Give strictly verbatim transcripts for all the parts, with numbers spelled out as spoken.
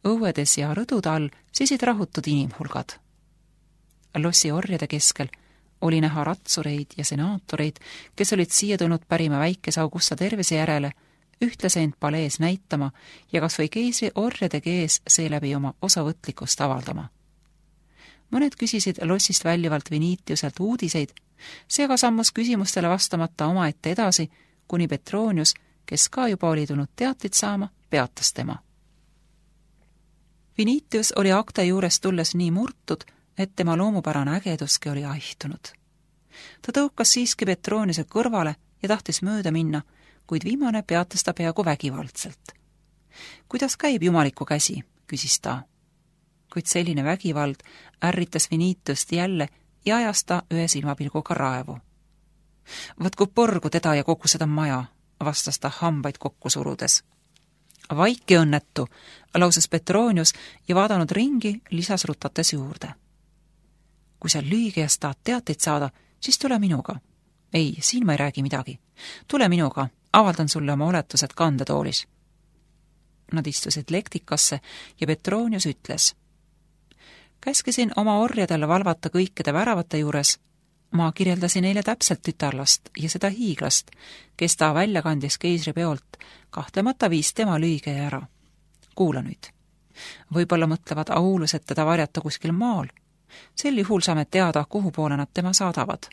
õuedes ja rõdude all seisid rahutud inimhulgad. Lossi orjade keskel oli näha ratsureid ja senaatoreid, kes olid siia tulnud pärima väikese Augusta tervise järele, ühtlase end palees näitama ja kas või keisri orjade kees seeläbi oma osavõtlikkust avaldama. Mõned küsisid lossist väljuvalt Vinitiuselt uudiseid, see aga sammus küsimustele vastamata omaette edasi, kuni Petronius, kes ka juba oli tulnud teateid saama, peatas tema. Vinitius oli akte juures tulles nii murtud, et tema loomupärane ägeduski oli aihtunud. Ta tõukas siiski Petroniuse kõrvale ja tahtis mööda minna, kuid viimane peatas ta peaaegu vägivaldselt. Kuidas käib jumaliku käsi, küsis ta. Kuid selline vägivald ärritas Vinitiust jälle ja ajas ta ühe silmapilguga raevu. Võtku porgu teda ja kogu seda maja, vastas ta hambaid kokku surudes. Vaiki õnnetu, lausus Petronius ja vaadanud ringi, lisas rutates juurde. Kui sa lüügijast tahad teateid saada, siis tule minuga. Ei, siin ma ei räägi midagi. Tule minuga, avaldan sulle oma oletused kandetoolis. Nad istusid lektikasse ja Petronius ütles. Käskisin oma orjadele valvata kõikide väravate juures. Ma kirjeldasin neile täpselt tütarlast ja seda hiiglast, kes ta välja kandis keisripeolt, kahtlemata viis tema lüügeja ära. Kuula nüüd. Võib-olla mõtlevad aulused teda varjata kuskil maal. Sel juhul saame teada, kuhu poole nad tema saadavad.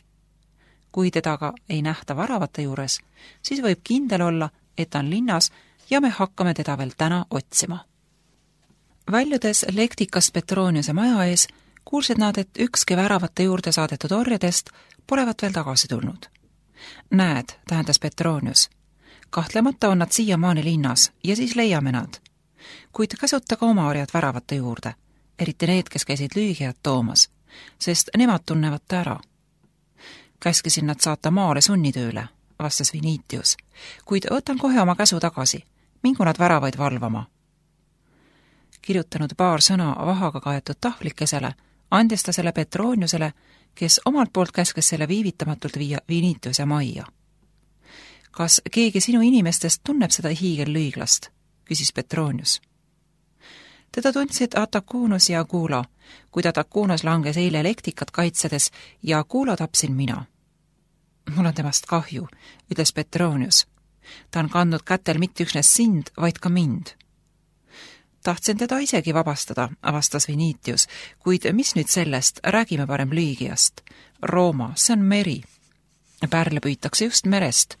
Kui teda ka ei nähta varavate juures, siis võib kindel olla, et ta on linnas ja me hakkame teda veel täna otsima. Väljudes lektikast Petroniuse maja ees, kuulsid nad, et ükski väravate juurde saadetud orjadest polevat veel tagasi tulnud. Näed, tähendas Petronius. Kahtlemata on nad siiamaani linnas ja siis leiame nad. Kuid käsuta ka oma orjad väravate juurde, eriti need, kes käisid lüügijad toomas, sest nemad tunnevad ta ära. Käskisin nad saata maale sunnitööle, vastas Vinitius, kuid võtan kohe oma käsu tagasi, mingu nad väravaid valvama. Kirjutanud paar sõna vahaga kaetud tahvlikesele, andis ta selle Petroniusele, kes omalt poolt käskes selle viivitamatult viia Vinitiuse majja. Kas keegi sinu inimestest tunneb seda hiigellüüglast, küsis Petronius. Teda tundsid Atakunus ja Kuulo, kuid Atakunus langes eile lektikat kaitsedes ja Kuulo tapsin mina. Mul on temast kahju, ütles Petronius. Ta on kandnud kätel mitte üksnes sind, vaid ka mind. Tahtsin teda isegi vabastada, vastas Vinitius, kuid mis nüüd sellest, räägime parem lüügijast. Rooma, see on meri. Pärle püütakse just merest.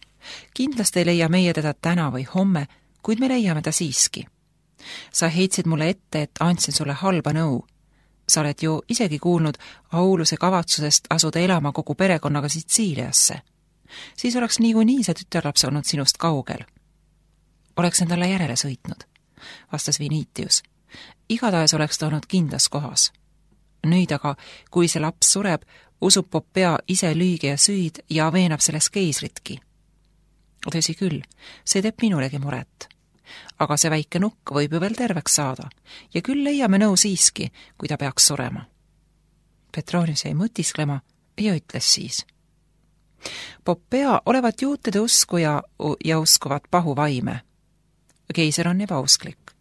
Kindlasti ei leia meie teda täna või homme, kuid me leiame ta siiski. Sa heitsid mulle ette, et andsin sulle halba nõu. Sa oled ju isegi kuulnud Auluse kavatsusest asuda elama kogu perekonnaga Sitsiiliasse. Siis oleks niikuinii see tütarlaps olnud sinust kaugel. Oleks endale järele sõitnud, vastas Vinitius. Igatahes oleks ta olnud kindlas kohas. Nüüd aga, kui see laps sureb, usub Popea ise lüügija süüd ja veenab selles keisritki. Tõsi küll, see teeb minulegi muret. Aga see väike nukk võib ju veel terveks saada ja küll leiame nõu siiski, kui ta peaks surema. Petronius jäi mõtisklema ja ütles siis. Popea olevat juutide usku ja, ja uskuvat pahu vaime. Keiser on ebausklik.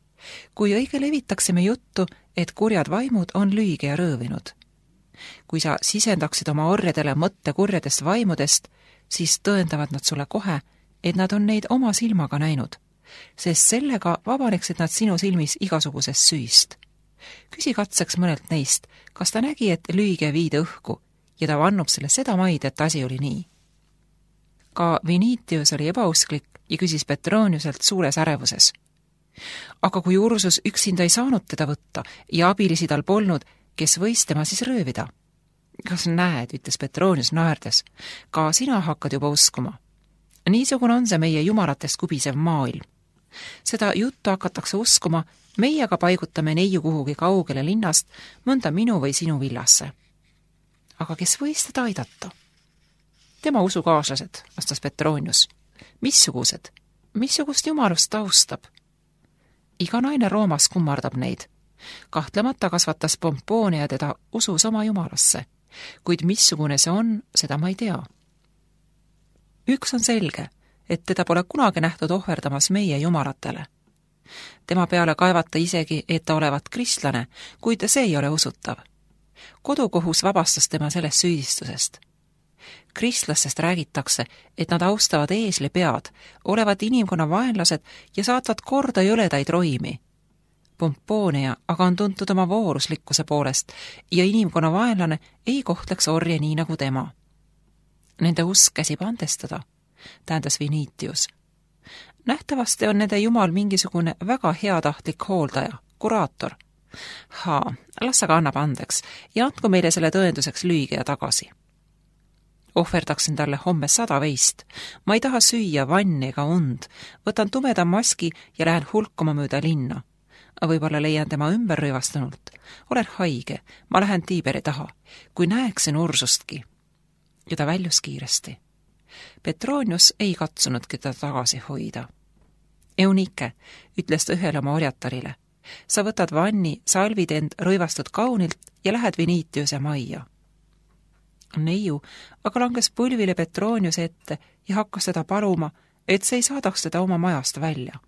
Kui õige levitaksime juttu, et kurjad vaimud on lüüge ja rõõvinud. Kui sa sisendaksid oma orjadele mõtte kurjadest vaimudest, siis tõendavad nad sulle kohe, et nad on neid oma silmaga näinud, sest sellega vabaneksid nad sinu silmis igasugusest süüst. Küsi katseks mõnelt neist, kas ta nägi, et lüüge viide õhku ja ta vannub selle seda maid, et asi oli nii. Ka Vinitius oli ebausklik ja küsis Petroniuselt suures ärevuses. Aga kui Ursus üksinda ei saanud teda võtta ja abilisi tal polnud, kes võis tema siis röövida? Kas näed, ütles Petronius naerdes, ka sina hakkad juba uskuma. Niisugune on see meie jumalatest kubisev maailm. Seda juttu hakatakse uskuma, meie aga paigutame neiu kuhugi kaugele linnast, mõnda minu või sinu villasse. Aga kes võis teda aidata? Tema usukaaslased, vastas Petronius. Missugused? Missugust jumalust ta austab? Iga naine Roomas kummardab neid. Kahtlemata kasvatas Pomponia teda usus oma jumalasse, kuid missugune see on, seda ma ei tea. Üks on selge, et teda pole kunagi nähtud ohverdamas meie jumalatele. Tema peale kaevata isegi, et ta olevat kristlane, kuid see ei ole usutav. Kodukohus vabastas tema sellest süüdistusest. Kristlastest räägitakse, et nad austavad eesli pead, olevat inimkonna vaenlased ja saatvad korda jõledaid roimi. Pomponia aga on tuntud oma vooruslikkuse poolest ja inimkonna vaenlane ei kohtleks orje nii nagu tema. Nende usk käsib andestada, tähendas Vinitius. Nähtavasti on nende jumal mingisugune väga heatahtlik hooldaja, kuraator. Haa, las aga annab andeks ja andku meile selle tõenduseks lüüge ja tagasi. Ohverdaksin talle homme sada veist. Ma ei taha süüa vanni ega und. Võtan tumeda maski ja lähen hulkuma mööda linna. Võib-olla leian tema ümber rõivastunult. Olen haige, ma lähen Tiiberi taha, kui näeksin Ursustki. Ja ta väljus kiiresti. Petronius ei katsunudki ta tagasi hoida. Eunike, ütles ta ühele oma orjatarile. Sa võtad vanni, salvid end rõivastud kaunilt ja lähed Vinitiuse majja. Neiu aga langes põlvile Petroniuse ette ja hakkas teda paluma, et see ei saadaks teda oma majast välja.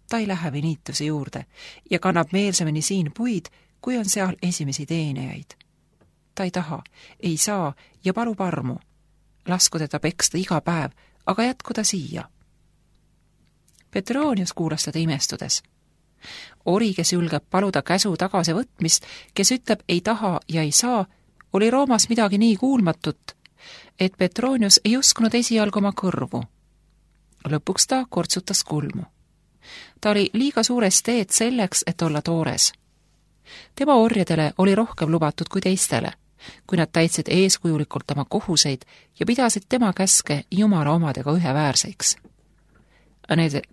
Ta ei lähe Vinitiuse juurde ja kannab meelsemini siin puid, kui on seal esimesi teenijaid. Ta ei taha, ei saa ja palub armu. Lasku teda peksta iga päev, aga jätku ta siia. Petronius kuulas teda imestudes. Ori, kes julgeb paluda käsu tagasi võtmist, kes ütleb ei taha ja ei saa, oli Roomas midagi nii kuulmatut, et Petronius ei uskunud esialgu oma kõrvu. Lõpuks ta kortsutas kulmu. Ta oli liiga suures teed selleks, et olla toores. Tema orjadele oli rohkem lubatud kui teistele, kui nad täitsid eeskujulikult oma kohuseid ja pidasid tema käske Jumala omadega üheväärseks.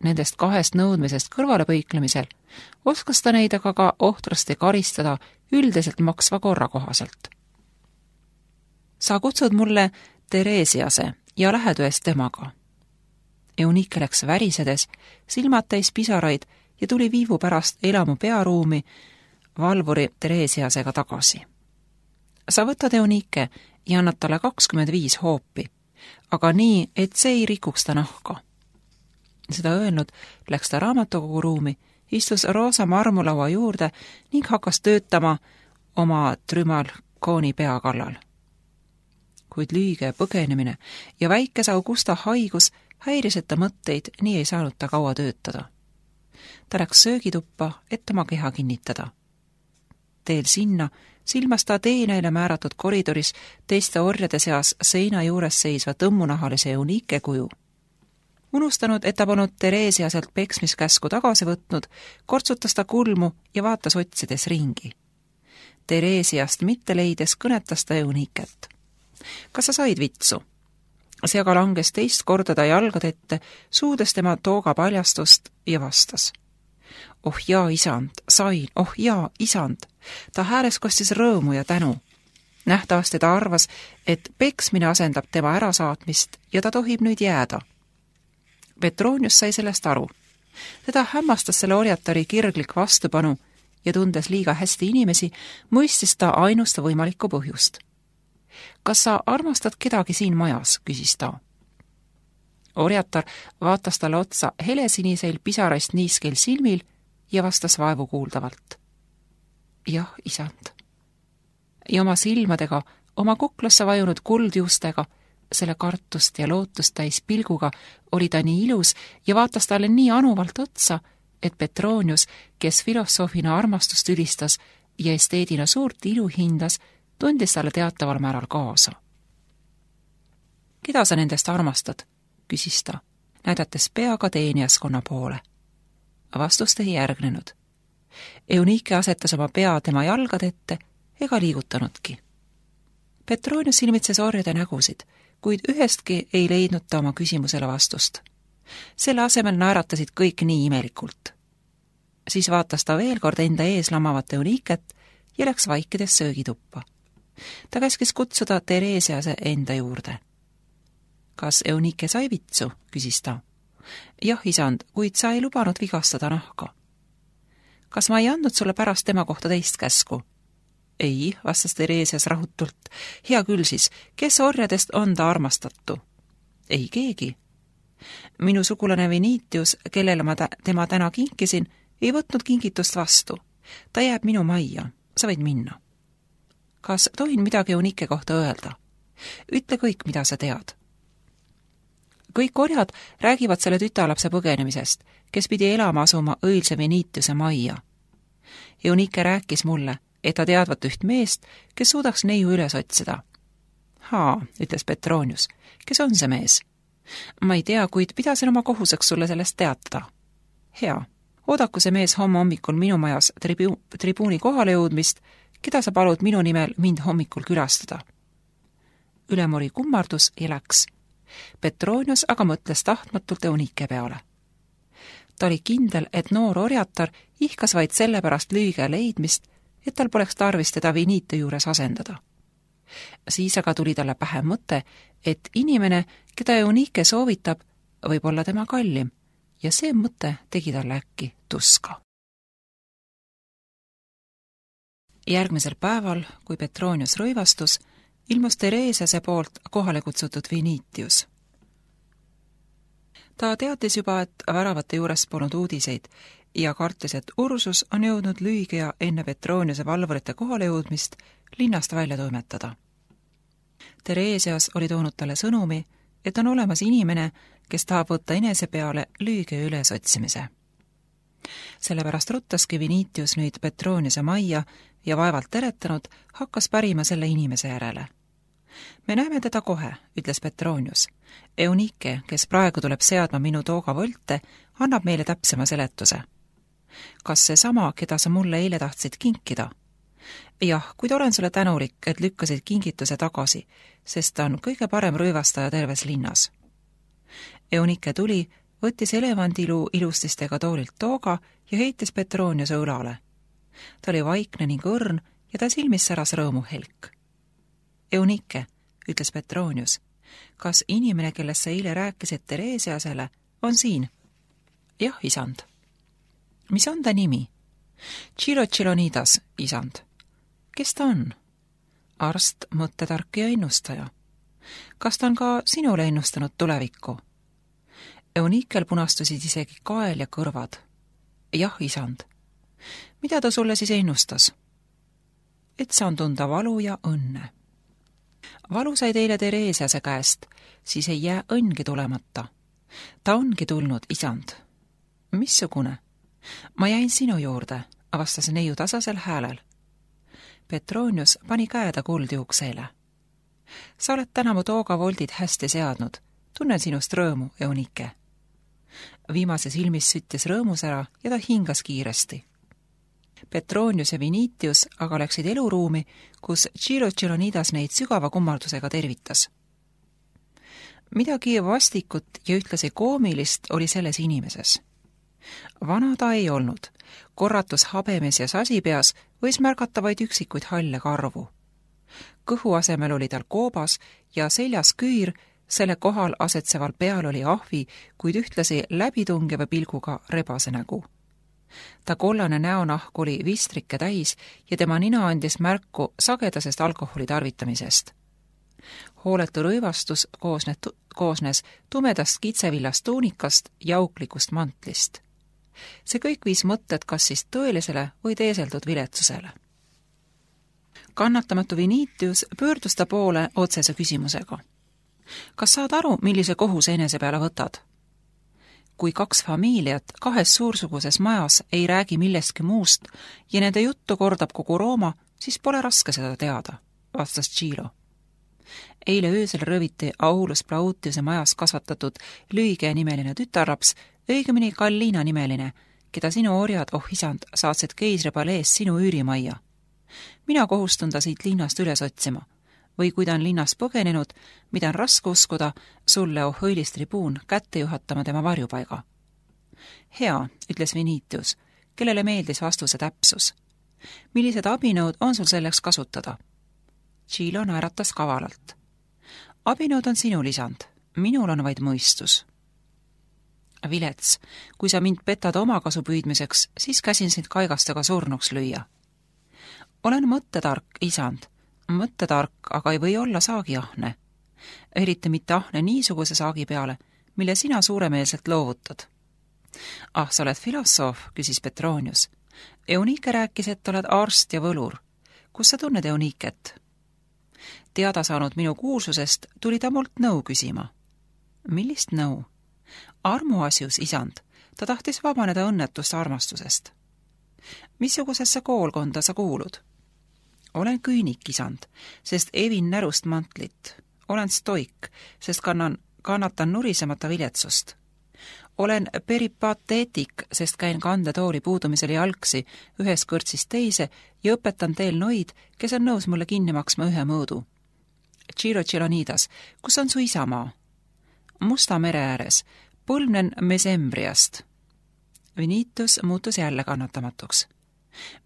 Nendest kahest nõudmisest kõrvalepõiklemisel oskas ta neid aga ka ohtrasti karistada üldiselt maksva korra kohaselt. Sa kutsud mulle Teresiase ja lähed ühes temaga. Eunike läks värisedes, silmad täis pisaraid ja tuli viivu pärast elamu pearuumi valvuri Teresiasega tagasi. Sa võtad Eunike ja annad talle kakskümmend viis hoopi, aga nii, et see ei rikuks ta nahka. Seda öelnud läks ta raamatukogu ruumi, istus roosa marmulaua juurde ning hakkas töötama oma trümalkooni pea kallal. Kuid lüüge põgenemine ja väikese Augusta haigus häirisid ta mõtteid, nii ei saanud ta kaua töötada. Ta läks söögituppa, et oma keha kinnitada. Teel sinna silmas ta teeneile määratud koridoris teiste orjade seas seina juures seisva tõmmunahalise Eunike kuju. Unustanud, et ta polnud Teresiaselt peksmiskäsku tagasi võtnud, kortsutas ta kulmu ja vaatas otsides ringi. Teresiast mitte leides kõnetas ta Euniket. Kas sa said vitsu? See aga langes teist korda ta jalgade ette, suudes tema tooga paljastust ja vastas. Oh jaa, isand, sain, oh jaa, isand. Ta hääles kostis rõõmu ja tänu. Nähtavasti ta arvas, et peksmine asendab tema ärasaatmist ja ta tohib nüüd jääda. Petronius sai sellest aru. Teda hämmastas selle orjatari kirglik vastupanu ja tundes liiga hästi inimesi, mõistis ta ainusta võimalikku põhjust. Kas sa armastad kedagi siin majas, küsis ta. Orjatar vaatas talle otsa helesiniseil pisaraist niiskel silmil ja vastas vaevu kuuldavalt. Jah, isand. Ja oma silmadega, oma kuklasse vajunud kuldjuustega, selle kartust ja lootust täis pilguga oli ta nii ilus ja vaatas talle nii anuvalt otsa, et Petronius, kes filosoofina armastust ülistas ja esteedina suurt ilu hindas, tundis talle teataval määral kaasa. Keda sa nendest armastad? Küsis ta, näidates peaga teenijaskonna poole. Vastust ei järgnenud. Eunike asetas oma pea tema jalgade ette ega liigutanudki. Petronius silmitses orjade nägusid, kuid ühestki ei leidnud ta oma küsimusele vastust. Selle asemel naeratasid kõik nii imelikult. Siis vaatas ta veel kord enda ees lamavat Euniket ja läks vaikides söögituppa. Ta käskis kutsuda Teresiase enda juurde. Kas Eunike sai vitsu, küsis ta. Jah, isand, kuid sa ei lubanud vigastada nahka. Kas ma ei andnud sulle pärast tema kohta teist käsku? Ei, vastas Teresias rahutult. Hea küll siis, kes orjadest on ta armastatu? Ei keegi. Minu sugulane Venitius, kellele ma tä- tema täna kinkisin, ei võtnud kingitust vastu. Ta jääb minu majja. Sa võid minna. Kas tohin midagi Eunike kohta öelda? Ütle kõik, mida sa tead. Kõik orjad räägivad selle tütarlapse põgenemisest, kes pidi elama asuma õilse Venitiuse majja. Eunike rääkis mulle, et ta teadvat üht meest, kes suudaks neiu üles otsida. Haa, ütles Petronius. Kes on see mees? Ma ei tea, kuid pidasin oma kohuseks sulle sellest teatada. Hea. Oodaku see mees homme hommikul minu majas tribu- tribuuni kohale jõudmist, keda sa palud minu nimel mind hommikul külastada. Ülemori kummardus ja läks. Petronius aga mõtles tahtmatult Eunike peale. Ta oli kindel, et noor orjatar ihkas vaid selle pärast lüüge leidmist, et tal poleks tarvis teda Venite juures asendada. Siis aga tuli talle pähe mõte, et inimene, keda Eunike soovitab, võib olla tema kallim, ja see mõte tegi talle äkki tuska. Järgmisel päeval, kui Petronius rõivastus, ilmus Theresiase poolt kohale kutsutud Venitius. Ta teatis juba, et väravate juures polnud uudiseid ja kartis, et Ursus on jõudnud lüügia enne Petroniuse valvurite kohale jõudmist linnast välja toimetada. Theresias oli toonud talle sõnumi, et on olemas inimene, kes tahab võtta enese peale lüüge üles otsimise. Sellepärast ruttaski Venitius nüüd Petroniuse majja ja vaevalt teretanud hakkas pärima selle inimese järele. Me näeme teda kohe, ütles Petronius. Eunike, kes praegu tuleb seadma minu tooga volte, annab meile täpsema seletuse. Kas see sama, keda sa mulle eile tahtsid kinkida? Jah, kuid olen sulle tänulik, et lükkasid kingituse tagasi, sest ta on kõige parem rõivastaja terves linnas. Eunike tuli, võttis elevandiluu ilustistega toolilt tooga ja heitis Petroniuse õlale. Ta oli vaikne ning õrn ja ta silmis säras rõõmuhelk. Eunike, ütles Petronius, kas inimene, kellest sa eile rääkisid Theresiasele, on siin? Jah, isand. Mis on ta nimi? Chilocilonidas, isand. Kes ta on? Arst, mõttetark ja ennustaja. Kas ta on ka sinule ennustanud tulevikku? Eunikel punastusid isegi kael ja kõrvad. Jah, isand. Mida ta sulle siis ennustas? Et saan tunda valu ja õnne. Valu sai teile Theresiase käest, siis ei jää õnngi tulemata. Ta ongi tulnud, isand. Missugune? Ma jäin sinu juurde, avastas neiu tasasel häälel. Petronius pani käeda kuldjuukseele. Sa oled täna mu tooga voldid hästi seadnud. Tunnen sinust rõõmu, Eunike. Viimase silmis süttis rõõmus ära ja ta hingas kiiresti. Petronius ja Venitius aga läksid eluruumi, kus Chilocilonidas neid sügava kummardusega tervitas. Midagi vastikut ja ühtlasi koomilist oli selles inimeses. Vana ta ei olnud. Korratus habemes ja sasipeas võis märgata vaid üksikuid halle karvu. Kõhu asemel oli tal koobas ja seljas küür, selle kohal asetseval peal oli ahvi, kuid ühtlasi läbitungeva pilguga rebase nägu. Ta kollane näonahk oli vistrike täis ja tema nina andis märku sagedasest alkoholi tarvitamisest. Hooletu rõivastus koosnes, koosnes tumedast kitsevillast tuunikast ja auklikust mantlist. See kõik viis mõtted kas siis tõelisele või teeseldud viletsusele. Kannatamatu Venitius pöördus ta poole otsese küsimusega. Kas saad aru, millise kohuse enese peale võtad? Kui kaks familiat kahes suursuguses majas ei räägi millestki muust ja nende juttu kordab kogu Rooma, siis pole raske seda teada, vastas Chilo. Eile öösel rõviti Aulus Plautiuse majas kasvatatud lüüge nimeline tütarlaps, õigemini Kallina nimeline, keda sinu orjad, oh isand, saatsid keisri palees sinu üürimajja. Mina kohustun ta siit linnast üles otsima, või kui ta on linnast põgenenud, mida on raske uskuda, sulle, oh õilis tribuun, kätte juhatama tema varjupaiga. Hea, ütles Venitius, kellele meeldis vastuse täpsus. Millised abinõud on sul selleks kasutada? Chilo naeratas kavalalt. Abinõud on sinul, isand, minul on vaid mõistus. Vilets, kui sa mind petad omakasu püüdmiseks, siis käsin sind kaigastega surnuks lüüa. Olen mõttetark, isand, mõttetark, aga ei või olla saagiahne. Eriti mitte ahne niisuguse saagi peale, mille sina suuremeelselt loovutad. Ah, sa oled filosoof, küsis Petronius. Eunike rääkis, et oled arst ja võlur. Kus sa tunned Euniket? Teada saanud minu kuulsusest tuli ta mult nõu küsima. Millist nõu? Armuasjus, isand. Ta tahtis vabaneda õnnetust armastusest. Missugusesse koolkonda sa kuulud? Olen küünik, isand, sest evin närust mantlit. Olen stoik, sest kannan, kannatan nurisemata viletsust. Olen peripateetik, sest käin kandetooli puudumisel jalgsi ühes kõrtsist teise ja õpetan teel noid, kes on nõus mulle kinni maksma ühe mõõdu. Ciro Tšelonidas, kus on su isamaa? Musta mere ääres, põlvnen Mesembriast. Vinitus muutus jälle kannatamatuks.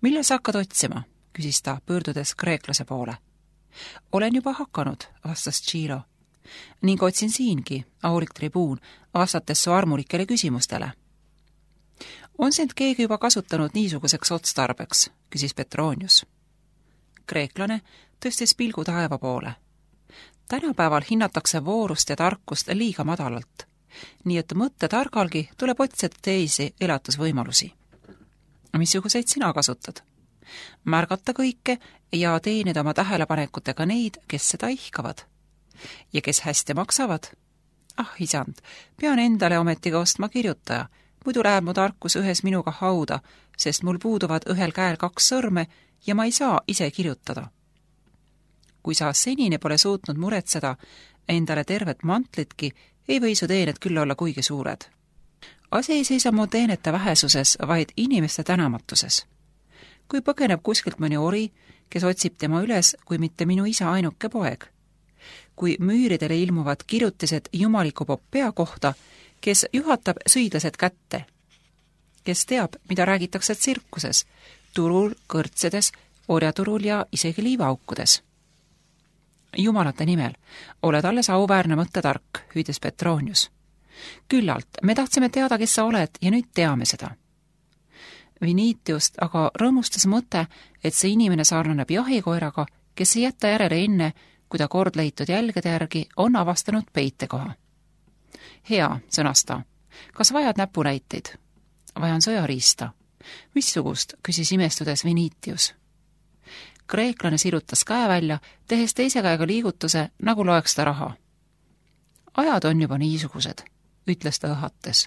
Mille sa hakkad otsima? Küsis ta, pöördudes kreeklase poole. Olen juba hakanud, vastas Ciro. Ning otsin siingi, aulik tribuun, vastates su armulikele küsimustele. On sind keegi juba kasutanud niisuguseks otstarbeks, küsis Petronius. Kreeklane tõstis pilgu taeva poole. Tänapäeval hinnatakse voorust ja tarkust liiga madalalt, nii et mõtte targalgi tuleb otsida teisi elatusvõimalusi. Missuguseid sina kasutad? Märgata kõike ja teenida oma tähelepanekutega neid, kes seda ihkavad. Ja kes hästi maksavad? Ah, isand, pean endale ometiga ostma kirjutaja, muidu läheb mu tarkus ühes minuga hauda, sest mul puuduvad ühel käel kaks sõrme ja ma ei saa ise kirjutada. Kui sa senini pole suutnud muretseda endale tervet mantlitki, ei või su teened küll olla kuigi suured. Asi ei seisa mu teenete vähesuses, vaid inimeste tänamatuses. Kui põgeneb kuskilt mõni ori, kes otsib tema üles, kui mitte minu isa ainuke poeg. Kui müüridele ilmuvad kirjutised jumaliku Poppea kohta, kes juhatab sõidlased kätte. Kes teab, mida räägitakse tsirkuses, turul, kõrtsedes, orjaturul ja isegi liivaaukudes. Jumalate nimel, oled alles auväärne mõttetark, hüüdis Petronius. Küllalt, me tahtsime teada, kes sa oled ja nüüd teame seda. Vinitiust aga rõõmustas mõte, et see inimene sarnaneb jahikoeraga, kes ei jätta järele enne, kui ta kord leitud jälgede järgi on avastanud peitekoha. Hea, sõnas ta. Kas vajad näpunäiteid? Vajan sõjariista. Missugust, küsis imestudes Vinitius. Kreeklane sirutas käe välja, tehes teise käega liigutuse, nagu loeks ta raha. Ajad on juba niisugused, ütles ta õhates.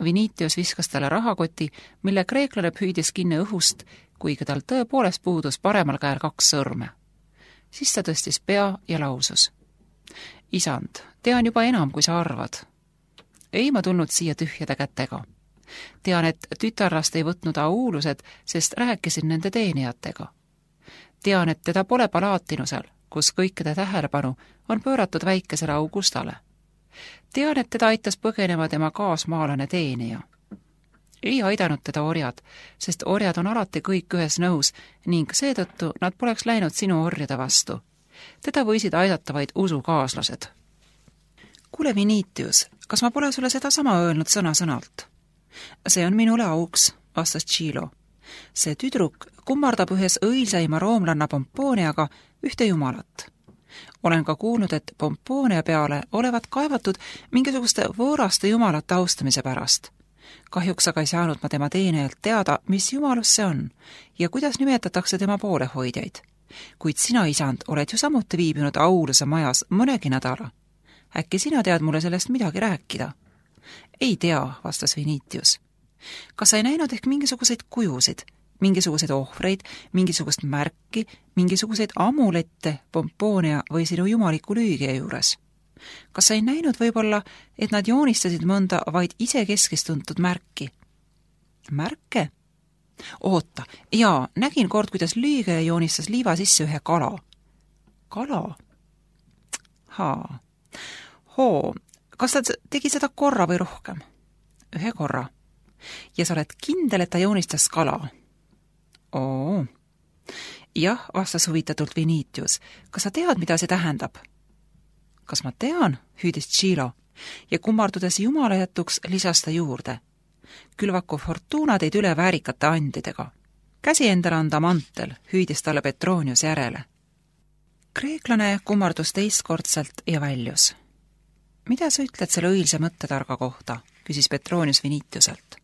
Vinitius viskas talle rahakoti, mille kreeklane püüdis kinni õhust, kuigi tal tõepoolest puudus paremal käel kaks sõrme. Siis ta tõstis pea ja lausus. Isand, tean juba enam, kui sa arvad. Ei ma tulnud siia tühjade kätega. Tean, et tütarlast ei võtnud auulused, sest rääkisin nende teenijatega. Tean, et teda pole palaatinusel, kus kõikide tähelepanu on pööratud väikesele Augustale. Tean, et teda aitas põgenema tema kaasmaalane teenija. Ei aidanud teda orjad, sest orjad on alati kõik ühes nõus ning seetõttu nad poleks läinud sinu orjade vastu. Teda võisid aidata vaid usukaaslased. Kuule, Vinitius, kas ma pole sulle seda sama öelnud sõna-sõnalt? See on minule auks, vastas Ciro. See tüdruk kummardab ühes õilsaima roomlanna Pompooniaga ühte jumalat. Olen ka kuulnud, et Pompoonia peale olevat kaevatud mingisuguste võõraste jumalate austamise pärast. Kahjuks aga ei saanud ma tema teenejalt teada, mis jumalus see on ja kuidas nimetatakse tema poolehoidjaid. Kuid sina, isand, oled ju samuti viibinud auluse majas mõnegi nädala. Äkki sina tead mulle sellest midagi rääkida? Ei tea, vastas Vinitius. Kas sa ei näinud ehk mingisuguseid kujusid, mingisuguseid ohvreid, mingisugust märki, mingisuguseid amulette Pompoonia või sinu jumaliku lüügia juures? Kas sa ei näinud võib-olla, et nad joonistasid mõnda vaid ise keskistuntud märki? Märke? Oota, jaa, nägin kord, kuidas lüügia joonistas liiva sisse ühe kala. Kala? Haa. Hoo, kas ta tegi seda korra või rohkem? Ühe korra. Ja sa oled kindel, et ta joonistas kala? Oo. Jah, vastas huvitatult Vinitius. Kas sa tead, mida see tähendab? Kas ma tean, hüüdis Ciro, ja kummardudes jumalajätuks lisas ta juurde. Külvaku Fortuna teid üle väärikate andidega. Käsi endale anda mantel, hüüdis talle Petronius järele. Kreeklane kummardus teistkordselt ja väljus. Mida sa ütled selle õilse mõttetarga kohta, küsis Petronius Vinitiuselt.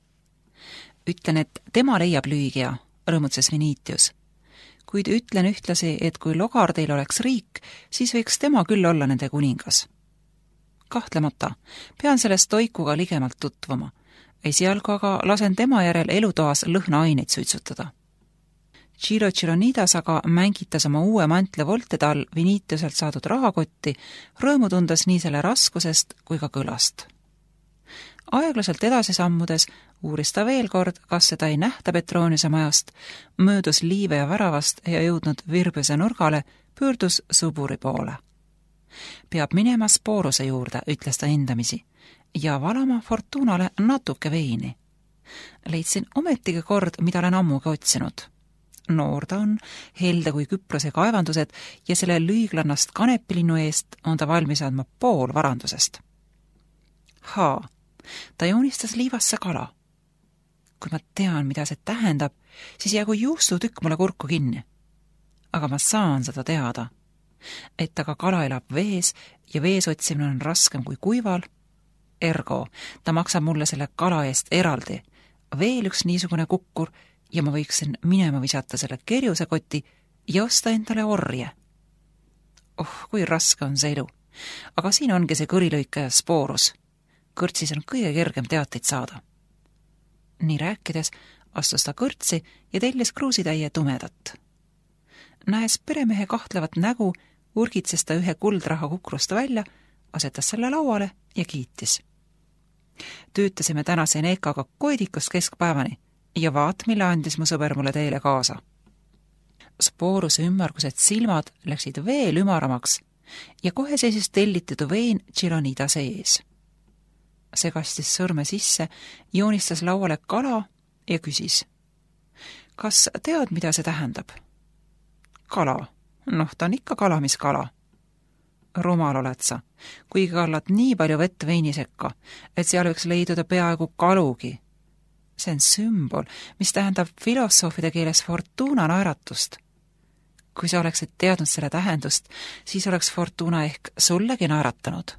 Ütlen, et tema leiab lüügia, rõõmutses Vinitius. Kuid ütlen ühtlasi, et kui Logardeil oleks riik, siis võiks tema küll olla nende kuningas. Kahtlemata, pean sellest toikuga ligemalt tutvuma. Esialgu aga lasen tema järel elutoas lõhnaaineid suitsutada. Ciro Cironidas aga mängitas oma uue mantle voltede all Vinitiuselt saadud rahakotti, rõõmu tundes nii selle raskusest kui ka kõlast. Aeglaselt edasi sammudes uuris ta veel kord, kas seda ei nähta Petroniuse majast, möödus liive ja väravast ja jõudnud Virbuse nurgale, pöördus Suburi poole. Peab minema Sporuse juurde, ütles ta hindamisi, ja valama Fortunale natuke veini. Leidsin ometigi kord, mida olen ammugi otsinud. Noor ta on, helde kui Küprose kaevandused ja selle lüüglannast kanepilinnu eest on ta valmis andma pool varandusest. Haa, ta joonistas liivasse kala. Kui ma tean, mida see tähendab, siis jäägu juustutükk mulle kurku kinni. Aga ma saan seda teada, et aga kala elab vees ja vees otsimine on raskem kui kuival. Ergo, ta maksab mulle selle kala eest eraldi. Veel üks niisugune kukkur ja ma võiksin minema visata selle kerjusekoti ja osta endale orje. Oh, kui raske on see elu. Aga siin ongi see kõrilõikaja Sporus. Kõrtsis on kõige kergem teateid saada. Nii rääkides astus ta kõrtsi ja tellis kruusitäie tumedat. Näes peremehe kahtlevat nägu, urgitses ta ühe kuldraha kukrust välja, asetas selle lauale ja kiitis. Töötasime tänase Neekaga koidikust keskpäevani ja vaat, mille andis mu sõber mulle teile kaasa. Sporuse ümmargused silmad läksid veel ümaramaks ja kohe seisis tellitidu vein Cironidase ees. See kastis sõrme sisse, joonistas lauale kala ja küsis. Kas tead, mida see tähendab? Kala. Noh, ta on ikka kala, mis kala. Rumal oled sa, kuigi kallad nii palju vett veini sekka, et seal võiks leiduda peaaegu kalugi. See on sümbol, mis tähendab filosoofide keeles Fortuna naeratust. Kui sa oleksid teadnud selle tähendust, siis oleks Fortuna ehk sullegi naeratanud.